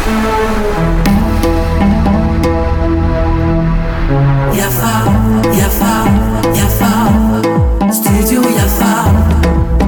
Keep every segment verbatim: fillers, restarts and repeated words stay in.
Yafa, yafa, yafa. Studio yafa.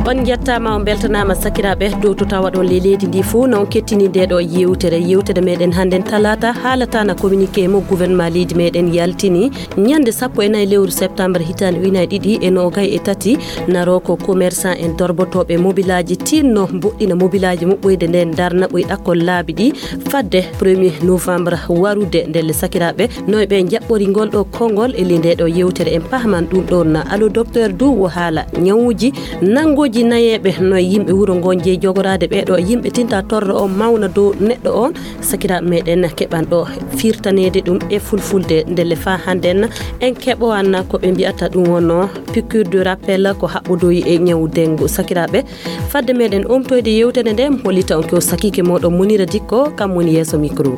On njettaama, on mbeltanaama sakiraaɓe dow to tawa ɗon ley leydi ndi fof. Non kettini nde ɗo yewtere. Yewtere meɗen hannden talaata haalata na communiqué mo gouvernement leydi meɗen yaltini ñande sappo e nayi lewru septembre hitaande ujunaaji ɗiɗi e noogay e tati. Naro ko commerçant en dorbotooɓe mobilaaji tinno mboɗɗina mobilaaji muɓɓoyde nden darna ɓoy ɗakkol laabi ɗi fadde premier novembre warude. Ndelle sakiraaɓe, noy ɓe njaɓɓori ngol ɗo konngol e ley nde ɗo yewtere en pahman ɗum ɗon na. Allo docteur du wo haala ñawuji nanngoji nayeeɓe, noy yimɓe wuro ngo jeyi jogoraade ɓe ɗo yimɓe tinta torro o mawna dow neɗɗo on. Sakiraaɓe meɗen keɓan ɗo firtaneede ɗum e fulfulde. Ndelle fa hannden en keɓowan ko ɓe mbiyata ɗum wonno piqûre de rappel ko haɓɓodoyi e ñawu dengu. Sakiraaɓe, fadde meɗen omtoyde yewtere nde, mi hollita on ko sakiike moɗon Munira Dikko, kam woni yeeso micro.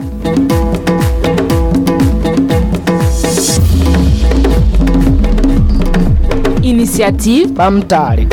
Initiative ɓamtaare.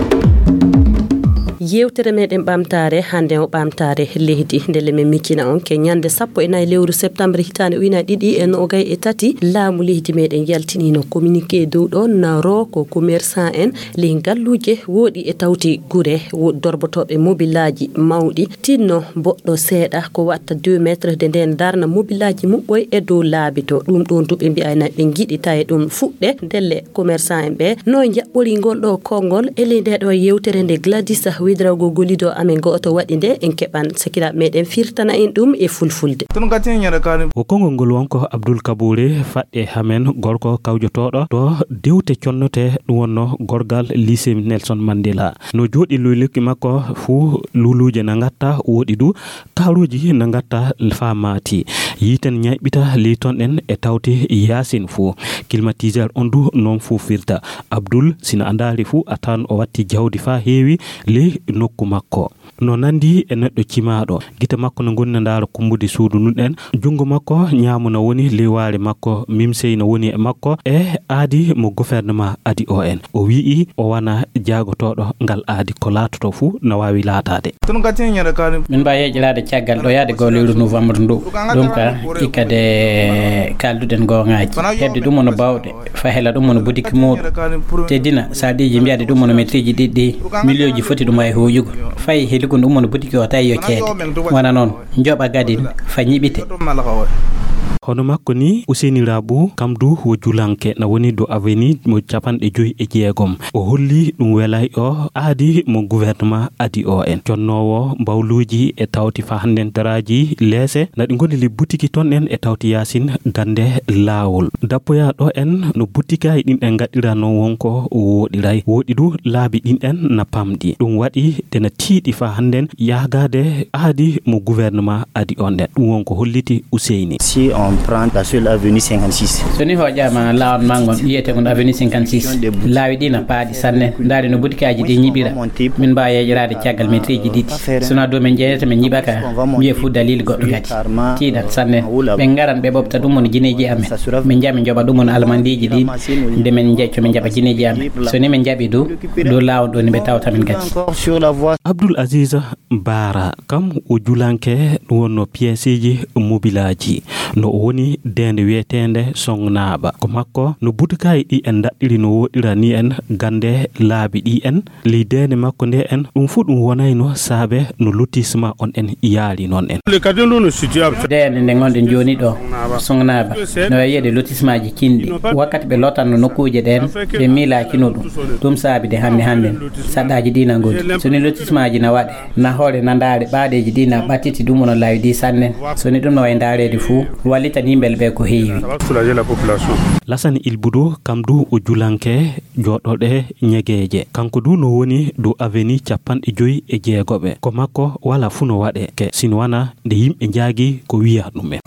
Yewtere meɗen ɓamtaare hannde o ɓamtaare leydi. Ndelle min miccina on ke ñande sappo e nayi lewru septembre hitaande ujunaaji ɗiɗi e noogay e tati, laamu leydi meɗen yaltinino communiqué dow ɗo naro ko commerçant en ley ngalluuje wooɗi e tawti gure wo-, dorbotooɓe mobilaaji mawɗi tinno mboɗɗo seeɗa ko watta deux mètres de nden darna mobilaaji muɓɓoy e dow laabi to. Ɗum ɗon du ɓe mbiyayna ɓe ngiɗi tawi ɗum fuɗɗe. Ndelle commerçant en ɓe no jaɓɓori ngol ɗo konngol e ley nde ɗo yewtere nde Gladys Ouédraogo gollido amen gooto waɗi nde, en keɓan sakiraaɓe meɗen firtana en ɗum e fulfulde. Ko konngol ngol wonko Abdoul Kabouré faɗɗe hamen gorko kawjotooɗo to dewte connote ɗum wonno gorgal lycée Nelson Mandela. No jooɗi luyluki makko fuu luluuje na ngatta wooɗi du kaaruuji na ngatta faa maati. Yiiten ñayɓita ley ton ɗen e tawti yaasin fuu. Climatiseur on du non fuu firta. Abdoul, sina a ndaari fuu a tawan o watti jawdi faa heewi ley nokku makko. No nandi e neɗɗo cimaaɗo. Gite makko no ngoni na ndaara kumbude suudu ndun ɗen. Junngo makko ñaamo no woni ley waare makko. Mimsey no woni e makko e aadi mo gouvernement adi o en. O wi'i o wana jaagotooɗo ngal aadi. Ko laatoto fuu na waawi laataade. Min mbaa yeeƴiraade caggal ɗo yaade goo lewru novembre ndu. Ɗum ka ikkade kaalduɗen goongaaji. Heɓde ɗum woni baawɗe. Fa hela ɗum woni butiki muuɗum. Teddina, sarɗiiji mbiyaɗe ɗum woni metriiji ɗiɗi ɗi. Miliyooji foti ɗum waawi huuƴugol. Fayi heligun ɗum woni butiki o tawi yo ceede. Wona noon, njoɓa gadin, fa ñiɓite. Hono makko ni, Ousseyni Rabou, kam du wo julanke, na woni do avenue mo capanɗe joyi e jeegom. O holli ɗum welay o aadi mo gouvernement adi o en. Jonnoowo mbawluuji e tawti fa hannden daraaji leese, na ɗi ngoni li butiki ton en e tawti yaasin gannde laawol. Dappoyaa ɗo en no butikaaji ɗin ɗen ngaɗiraa non wonko wooɗiray. Wooɗi du laabi ɗin ɗen na pamɗi. Ɗum waɗi de na tiiɗi fa hannden yaagaade aadi mo gouvernement adi on ɗen. Ɗum wonko holliti Ousseyni. Si on prend la seule avenue cinquante-six. So ni hooƴaama laawol manngon wiyeteegon avenue cinquante-six, laawi ɗi na paaɗi sanne. Ndaari no butikaaji ɗi ñiɓira. Min mbaawa yeeƴiraade caggal metriiji ɗiɗi. Sona dow min jeeyata min ñiɓa ka, mbiye fuu dalil goɗɗo kadi. Tiiɗan sanne. Ɓe ngaran ɓe ɓoɓta ɗum woni jineeji amen. Min njaha min njoɓa ɗum woni almandiiji ɗin. Nde min njeƴco min njaɓa jineeji amen. So ni min njaɓi du, dow laawol ɗo ni ɓe tawta min kadi. Abdoul Aziz Bara, kam o julanke ɗum wonno piyeeseeji mobilaaji. No o woni deende wiyeteende Songnaaɓa. Ko makko no butikaaji ɗi en ndaɗɗiri no wooɗira ni en gannde laabi ɗi en. Ley deene makko nde en, ɗum fuu ɗum wonayno saabe no lotissement on en yaari noon en. Deene nde ngonɗen jooni ɗo, Songnaaɓa, no wayi wiyeede lotissemaaji cinɗi. Wakkati ɓe lotanno nokkuuje ɗeen, ɓe miilaakino ɗum. Ɗum saabi de hannde hannden, saɗɗaaji ɗi na ngoni. So ni lotissemaaji na waɗe, na hoore na ndaare ɓaaɗeeji ɗi na ɓattiti ɗum wona laawi ɗi sanne. So ni ɗum no wayi ndaareede fuu, wallitan yimɓe ɓe ko heewi. Lasani Ilbudu, kam du o julanke, jooɗooɗe ñegeeje. Kanko du no woni dow avenue capanɗe joyi e jeegoɓe. Ko makko wala fuu no waɗe ke, sino wana nde yimɓe njaagi ko wiya ɗum en.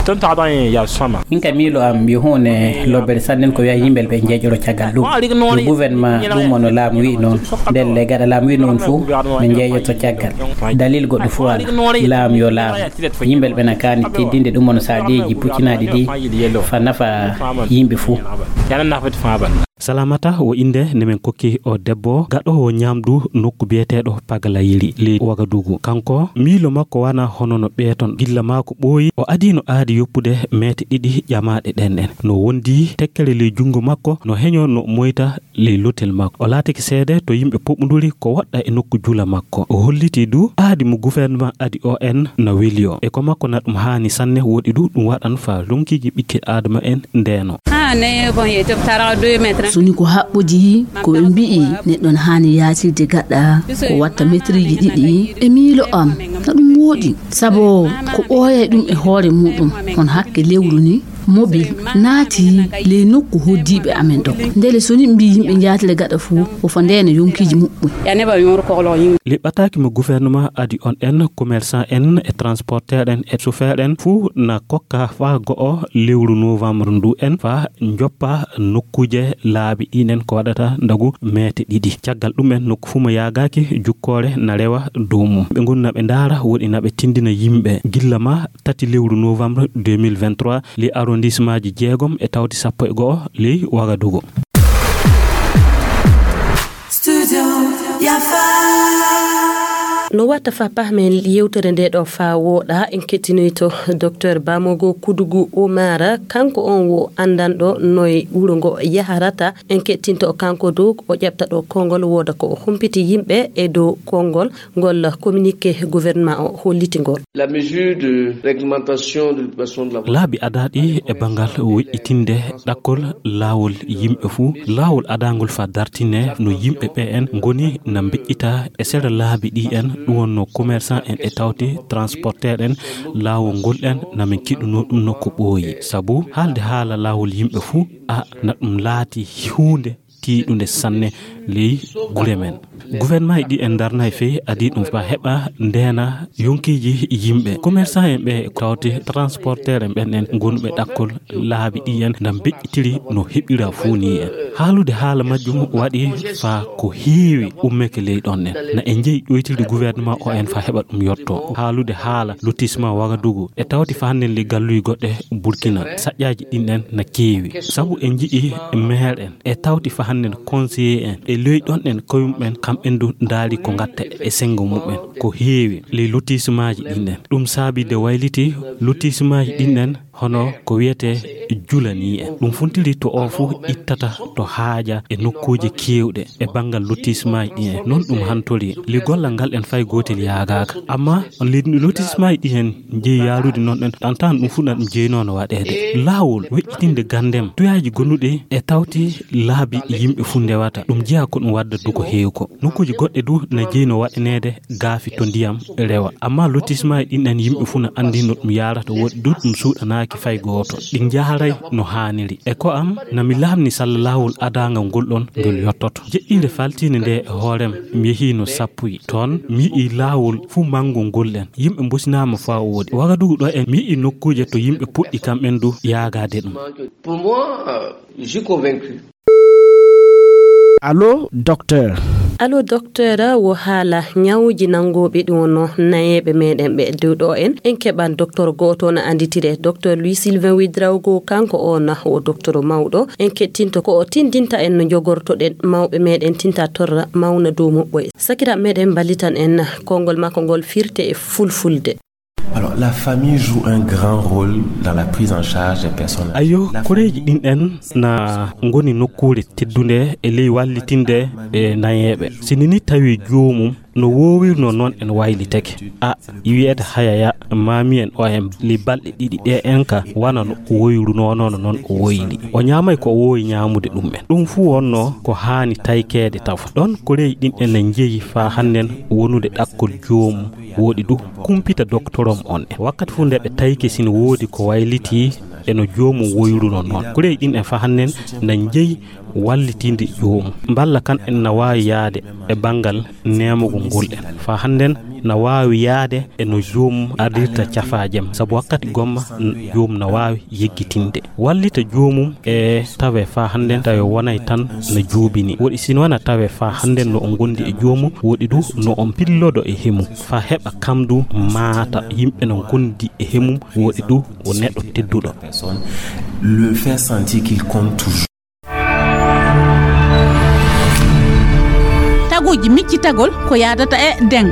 Min ka miilo am yo huunde lobbere sanne ko wiya yimɓe ɓe njeeƴoro caggal ɗum. Yo gouvernement ɗum wano laamu wi noon. Ndelle gaɗa laamu wi noon fuu ɓe njeeƴoto caggal. Dalil goɗɗo fuu ala. Laamu yo laamu. Yimɓe ɓe na kaani teddinde ɗum wano saadeeji puccinaaɗi ɗi fa nafa yimɓe fuu. Salamata o innde nde min kokki o debbo gaɗoowo ñaamdu nokku biyeteeɗo Pagalayiri ley Wagadugu. Kanko miilo makko wanaa hono no ɓeeton. Gilla maa ko ɓooyi o adii no aadi yoppude meete ɗiɗi ƴamaaɗe ɗen en. No wondi tekkere ley junngo makko, no heñoo no moyta ley lotel makko. O laatike seede to yimɓe puɓɓunduri ko woɗɗa e nokku jula makko. O hollitii du aadi mo gouvernement adi o en na weli o. E ko makko na ɗum haani sanne, woɗi du ɗum waɗan faa lonkiiji ɓiɓɓe Aadama en ndeeno. So ni ko haɓɓodii ko ɓe mbi'i neɗɗo na haani yaatirde gaɗa ko watta metriiji ɗiɗi, e miilo am na ɗum wooɗi, sabu ko ɓooyay ɗum e hoore muɗum, hono hakke lewru ni, mobil naati ley nokku hoddiiɓe amen ɗo. Ndele so ni mbi yimɓe njaatire gaɗa fuu, o fo ndeena yonkiiji muɓɓen. Liɓɓataaki mo gouvernement adi on en, commerçant en e transporteur en e chauffeur en fuu na kokka faa go'o lewru novembre ndu en faa njoppa nokkuuje laabi ɗin en ko waɗata ndagu meete ɗiɗi. Caggal ɗum en nokku fuu mo yaagaaki jukkoore na rewa dow mum. Ɓe ngoni na ɓe ndaara, woɗi na ɓe tindina yimɓe gilla maa tati lewru novembre deux mille vingt-trois, ley arrondissemaaji jeegom e tawti sappo e go'o ley Wagadugu. No watta faa pahmen yewtere nde ɗo faa wooɗa, en kettinoyto Docteur Bamogo Kudugu Omara, kanko on wo anndanɗo noye wuro ngo yaharata. En kettinto kanko dow o ƴaɓta ɗo konngol, wooda ko o humpiti yimɓe e dow konngol ngol communiqué gouvernement o holliti ngol. La mesure de réglementation de l'occupation de la voie. Laabi adaaɗi e banngal woƴƴitinde ɗakkol laawol yimɓe fuu, laawol adaangol faa dartine no yimɓe ɓe en ngoni na mbeƴƴita e sera laabi ɗi en, ɗum wonno commerçant en e tawti transporteur en, laawol ngol en na min kiɗunoo ɗum no ko ɓooyi. Sabu haalde haala laawol yimɓe fuu, a na ɗum laati huunde tiiɗunde sanne ley gure men. Gouvernement e ɗi en darnay fey adii ɗum faa heɓa ndeena yonkiiji yimɓe. Commerçant en ɓe tawti transporteur en ɓen en gonɓe ɗakkol laabi ɗi en na mbeƴƴitiri no heɓira fuu ni en. Haalude haala majjum waɗi faa ko heewi ummeke ley ɗon en. Na en jeyi ɗoytirde gouvernement o en faa heɓa ɗum yotto. Haalude haala lotissement Wagadugu e tawti faa hannden ley galluuji goɗɗe Burkina, saƴƴaaji ɗin en na keewi. Sabu en njiɗi maire en e tawti faa hannden conseiller en e ley ɗon en koyum ɓen, kamɓen du ndaari ko ngatta e senngo mumen. Ko heewi ley lotissemaaji ɗin en. Ɗum saabi de wayliti lotissemaaji ɗin en hono ko wiyetee julanii en. Ɗum funtiri to o fuu ittata to haaja e nokkuuje keewɗe e banngal lotissemaaji ɗin en. Non ɗum hantori. Li gollal ngal en fay gootel yaagaaka. Amma li lotissemaaji ɗin en jeyi yaarude non ɗen, ɗantaan ɗum fuu na ɗum jeyinoo no waɗeede. Laawol weƴƴitinde ganndem, tuyaaji gonuɗi e tawti laabi yimɓe fuu ndewata. Ɗum jeyaa ko ɗum wadda du ko heewi ko. Nokkuuji goɗɗe du na jeyi no waɗaneede gaafi to ndiyam rewa. Amma lotissement e ɗin ɗan yimɓe fuu na anndi no ɗum yaarata, woɗi du ɗum suuɗanaaki fay gooto. Ɗi njaaray no haaniri. E ko am, na mi laamni salla laawol adaangal ngol ɗon ngol yottoto. Jeɗɗiire faltiinde nde e hoorem, mi yehii no sappuyi. Toon, mi yi'ii laawol fuu manngol ngol ɗen. Yimɓe mbosinaama faa wooɗi. Wagadugu ɗo en, mi yi'ii nokkuuje to yimɓe puɗɗi kamɓen du yaagaade ɗum. Pour moi, euh, je suis convaincu. Allo, docteur. Allo, docteur, wo haala ñawuuji nanngooɓe ɗum wonno nayeeɓe meɗen ɓe dow ɗo en. En keɓan docteur gooto no annditire. Docteur Louis Sylvain Ouédraogo, kanko o na wo docteur mawɗo. En kettinto ko o tindinta en no jogortoɗen mawɓe meɗen tinta torra mawna dow muɓɓoye. Sakiraaɓe meɗen mballitan en konngol makko ngol firte e fulfulde. Alors, la famille joue un grand rôle dans la prise en charge des personnes âgées. Ayo, koreeji ɗin en na ngoni nokkuure teddunde e ley wallitinde e nayeeɓe. Si ni tawi joomum no woowirno non en waylitake. A wiyeede hayaya maami en o en li balɗe ɗiɗi ɗe en ka wana no o woyruno non non o woyli. O ñaamay ko o woowi ñaamude ɗum en. Ɗum fuu wonno ko haani taykeede tawa. Ɗon koreeji ɗin en na njeyi faa hannden wonude ɗakkol joomum. Woɗi du kumpita doktorom on en. Wakkati fuu nde ɓe tayke sina woodi ko waylitii e no joomum woyruno non. Koreeji ɗin en faa hannden na njeyi wallitinde joomum. Mballa kan en na waawi yaade e banngal neemugol ngol en. Faa hannden na waawi yaade e no joomum ardirta cafaajem. Sabu wakkati gomma n-, joomum na waawi yeggitinde. Wallita joomum e tawe faa hannden tawe wonay tan no juubini. Woɗi sino wana tawe faa hannden no o ngondi e joomum, woɗi du no on pillodo e hemum. Faa heɓa kam du maata yimɓe no ngondi e hemum, woɗi du o neɗɗo tedduɗo. Le faire sentir qu'il compte toujours. Aguuji miccitagol ko yaadata e deŋ.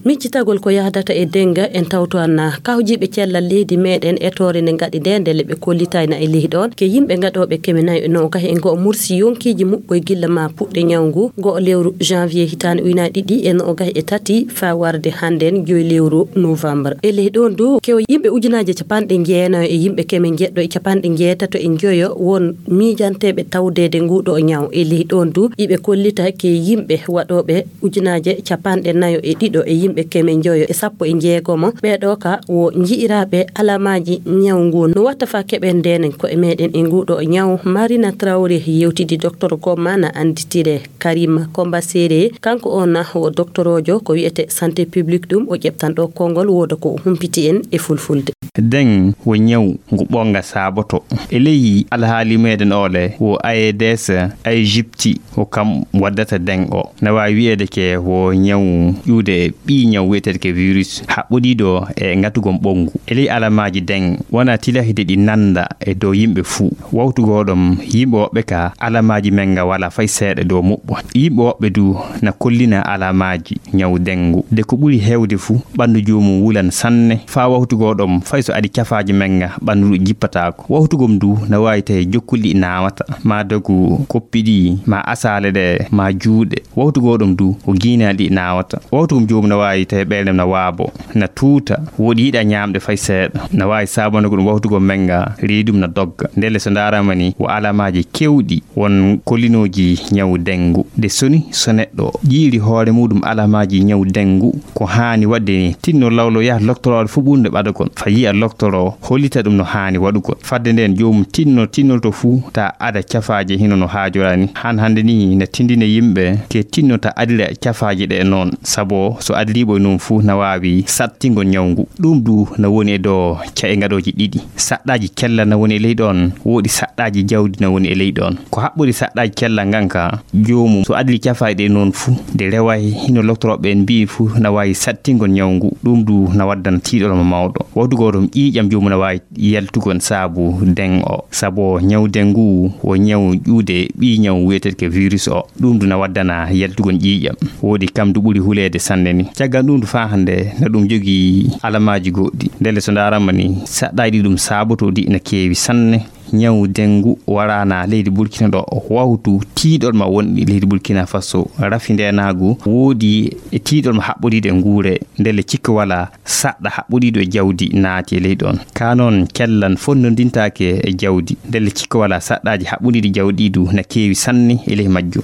Miccitagol ko yahdata e denga, en tawto anna kawjiiɓe cellal leydi meɗen e toore nde ngaɗi nde, ndele ɓe kollitayna e leydi on ke yimɓe gaɗooɓe keme nayo e noogay e go'o mursi yonkiiji muɓɓoy gilla ma puɗɗe ñaw ngu go'o lewru janvier hitaande ujunaaji ɗiɗi e noogay e tati faa warde hannden joy lewru novembre. E leydi on du kew yimɓe ujunaaje capanɗe jeenayo e yimɓe keme jeɗɗo e capanɗe jeetato e njoyo won miijanteeɓe tawdeede nguɗo ñaw. E leydi on du iɓe kollita ke yimɓe waɗooɓe ujunaaje capanɗe nayo e ɗiɗo e yimɓe keme njoyo e sappo e jeegomo. Ɓeeɗo ka wo nji'iraaɓe alamaaji ñaw ngu. No watta faa keɓen ndenen ko'e meɗen e nguɗo ñaw, Marina Traoré yewtidi Docteur Gomma na annditire Karima Komba Sere. Kanko on na wo doktoroojo ko wi'ete santé publique, ɗum o ƴeɓtan ɗo konngol wooda ko o humpiti en e fulfulde. Deŋ wo ñaw ngu ɓonga saaboto. E ley alhaali meɗen ole wo A E D S, Aegypti, ko kam waddata deŋ o. Na waawi wi'eede ke wo ñaw ƴuude ɓii ñaw wi'eteede ke virus haɓɓodiiɗo e ngatugol ɓonngu. E ley alamaaji deŋ wona tilahide ɗi nannda e dow yimɓe fuu. Wawtu goo ɗom yimɓe woɓɓe ka alamaaji men nga wala fay seeɗa dow muɓɓo. Yimɓe woɓɓe du na kollina alamaaji ñaw deŋ ngu. De ko ɓuri heewde fuu, ɓanndu joomum wulan sanne. Faa wawtu goo ɗom, fay so adi cafaaji men nga, ɓanndu ndu jippataako. Wawtu gom du na waawi tawi jokkuli ɗi naawata, maa dogu koppi ɗi, maa asaale ɗe, maa juuɗe. Wawtu goo ɗom du ko giinaali ɗi naawata. Wawtu gom joomum na waawi tawi ɓeynde na waabo, na tuuta, woɗi yiɗa ñaamde fay seeɗa. Na waawi saabonde ko ɗum wawtu gom men nga, reedum na dogga. Ndelle so ndaarama ni, wo alamaaji kewɗi won kollinooji ñaw deŋ ngu. De soni so neɗɗo jiiri hoore muɗum alamaaji ñaw deŋ ngu, ko haani waɗde ni, tinno lawlo yaha loktorooɗo fuu ɓurnde ɓadagol. Fa yi'a loktoro hollita ɗum no haani waɗugol. Fadde nden joomum tinno, tinnolto fuu ta ada cafaaje hino no haajorani. Han hannde ni na tindina yimɓe ke tinno ta adira cafaaje ɗe noon. Sabo so adiriiɓo e noon fuu na waawi sattingol ñaw ngu. Ɗum du na woni e dow ca'e ngaɗooji ɗiɗi. Saɗɗaaji cellal na woni e ley ɗoon, woodi saɗɗaaji jawdi na woni e ley ɗoon. Ko haɓɓori saɗɗaaji cellal ngan ka, joomum so adiri cafaaji ɗe noon fuu, de reway hino loktorooɓe en mbi'i fuu na waawi sattingol ñaw ngu. Ɗum du na waddana tiiɗol mo mawɗo. Wawtu goo ɗom ƴiiƴam joomum na waawi yaltugol saabu deŋ o. Sabo ñaw deŋ ngu wo ñaw ƴuude ɓii ñaw wi'eteeɗo ke virus o. Ɗum du na waddana yaltugol ƴiiƴam. Woodi kam du ɓuri huleede sanne ni. Caggal ɗum du faa hannde na ɗum jogii alamaaji goɗɗi. Ndelle so ndaarama ni, saɗɗaaji ɗi ɗum saabotoo ɗi na keewi sanne. Ñaw deŋ ngu waraana leydi Burkina ɗo wawtu tiiɗol ma wonɗi leydi Burkina Faso. Rafi ndeenaagu woodi e tiiɗol ma haɓɓodiiɗo e nguure. Ndelle cikka wala saɗɗa haɓɓodiiɗo e jawdi naati e leydi on. Ka noon cellal fonnondintaake e jawdi. Ndelle cikka wala saɗɗaaji haɓɓodiiɗi jawdi du na keewi sanne e ley majjum.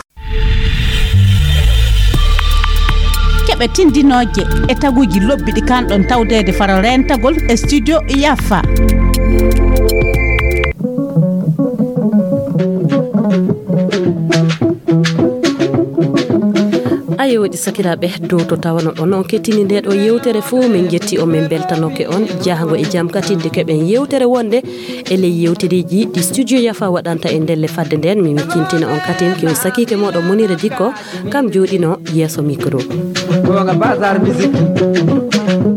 Keɓe tindinooje e taguuji lobbi ɗi kanɗon tawdeede faro reentagol e studio Yafa. Ayo, waɗi sakiraaɓe, dow to tawano ɗon on kettini nde ɗo yewtere fuu, min jetti on, min beltanoke on. Jahango e jam katinde keɓen yewtere wonde e ley yewtereeji ɗi studio Yafa waɗanta e ndelle. Fadde nden, mi miccintina on katin ke o sakiike mooɗon Munira Dikko, kam jooɗino yeeso micro. Gonga Bazar Musique.